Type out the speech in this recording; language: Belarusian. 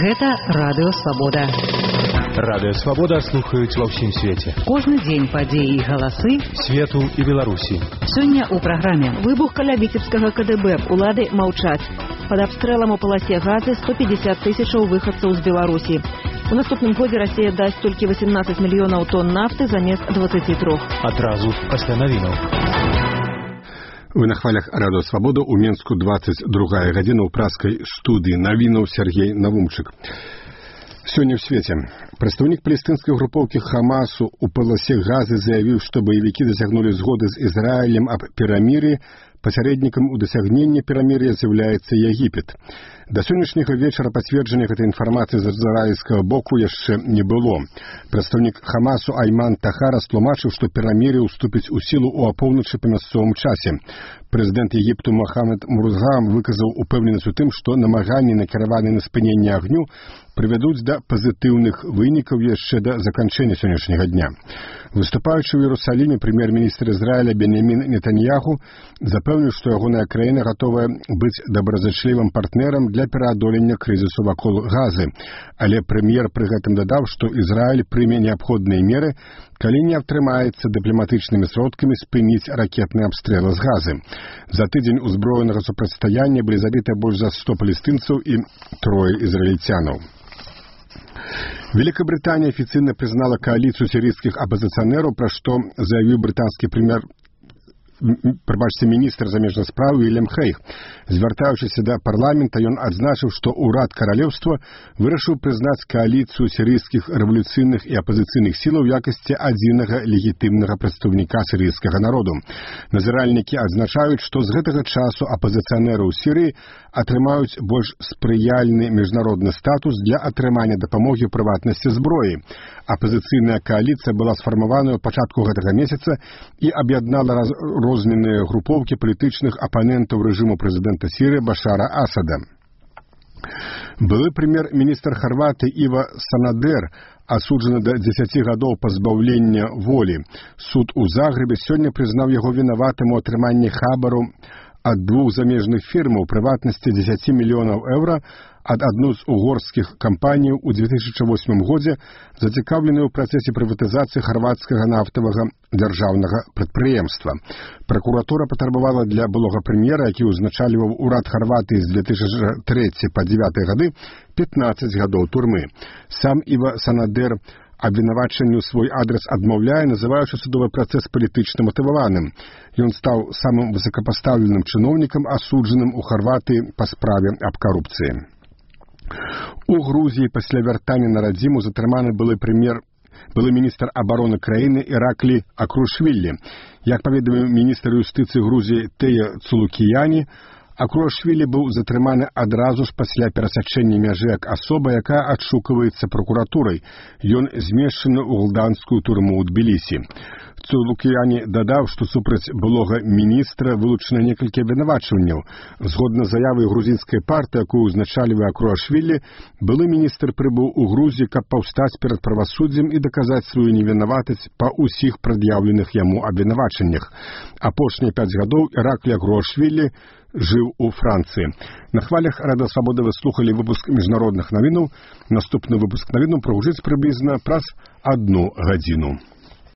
Гэта Радыё Свабода. Радыё Свабода слухаюць ва ўсім свеце. Кожны дзень падзеі і галасы свету і Беларусі. Сёння ў праграме. Выбух каля Віцебскага КДБ. Улады маўчаць. Пад абстрэлам у паласе Газы 150 тысячаў выхадцаў з Беларусі. У наступным годзе Расія дасць толькі 18 мільёнаў тонн нафты замест 23. Адразу пасля навінаў. Вы на хвалях Радыё Свабода, у Менску 22 гадзіна, ў праскай студыі навінаў Сергей Навумчык. Сёння ў свеце прадстаўнік палестынскай групоўкі Хамасу у паласе Газы заявіў, што баевікі дасягнулі згоды з Ізраілем аб перамір'і. Пасярэднікам у дасягненні перамір'я з'яўляецца Егіпет. Да сённяшняга вечара пацверджання гэтай інфармацыі з ізраільскага боку яшчэ не было. Прадстаўнік Хамасу Айман Тахар растлумачыў, што перамір'е ўступіць у сілу ў апоўначы па мясцовым часе. Прэзідэнт Егіпту Мохамед Мурза выказаў упэўненасць у тым, што намаганні, накіраваныя на спыненне агню, прывядуць да пазітыўных вынікаў яшчэ да заканчэння сённяшняга дня. Выступаючы ў Іерусаліме, прэм'ер-міністр Ізраіля Беньямін Нетаньяху запэўніў, што ягоная краіна гатовая быць добразычлівым партнерам для пераадолення крызісу вакол Газы. Але прэм'ер пры гэтым дадаў, што Ізраіль прыме неабходныя меры, калі не атрымаецца дыпламатычнымі сродкамі спыніць ракетныя абстрэлы з Газы. За тыдзень узброенага супрацьстаяння былі забіты больш за 100 палестынцаў і 3 ізраільцянаў. Великобритания официально признала коалицию сирийских оппозиционеров, про что заявил британский міністр замежных спраў Вільям Хейг. Звяртаючыся да парламента, ён адзначыў, што ўрад каралеўства вырашыў прызнаць кааліцыю сірыйскіх рэвалюцыйных і апазіцыйных сілаў у якасці адзінага легітымнага прадстаўніка сірыйскага народу. Назіральнікі адзначаюць, што з гэтага часу апазіцыянеры ў Сірыі атрымаюць больш спрыяльны міжнародны статус для атрымання дапамогі ў прыватнасці зброі. Апазіцыйная кааліцыя была сфармаваная ў пачатку гэтага месяца і аб'яднала розныя групоўкі палітычных апанентаў рэжыму прэзідэнта Сірыі Башара Асада. Былы прэм'ер-міністр Харватыі Іва Санадер асуджаны да 10 гадоў пазбаўлення волі. Суд у Загрэбе сёння прызнаў яго вінаватым у атрыманні хабару ад 2 замежных фірмаў, прыватнасці 10 мільёнаў еўра ад адной з угорскіх кампаній у 2008 годзе, зацікаўленай у працэсе прыватызацыі харвацкага нафтавага дзяржаўнага прадпрыемства. Пракуратура патрабавала для былога прэм'ера, які ўзначальваў урад Харватыі з 2003 па 2009 гады, 15 гадоў турмы. Сам Іва Санадер абвінавачанню свой адрес адмаўляе, называючы судовы працэс палітычна матываваным. Ён стаў самым высокапастаўленым чыноўнікам, асуджаным у Харватыі па справе аб карупцыі. У Грузіі пасля вяртання на радзіму затрыманы былы міністр абароны краіны Іраклі Акрушвілі. Як паведаміў міністр юстыцыі Грузіі Тея Цулукіяні, Акрушвілі быў затрыманы адразу ж пасля перасячэння мяжы як асоба, якая адшукваецца пракуратурай. Ён змешчаны ў гулданскую турму ў Тбілісі. Цулукіяні дадаў, што супраць былога міністра вылучана некалькі абвінавачванняў. Згодна з заявай грузінскай партыі, якую ўзначальвае Акрушвілі, былы міністр прыбыў у Грузію, каб паўстаць перад правасуддзем і даказаць сваю невінаватасць па ўсіх прад'яўленых яму абвінавачаннях. Апошнія 5 гадоў Іраклі Акрушвілі жыў у Францыі. На хвалях Радыё Свабода вы слухалі выпуск міжнародных навінаў. Наступны выпуск навінаў прагучыць прыблізна праз 1 гадзіну.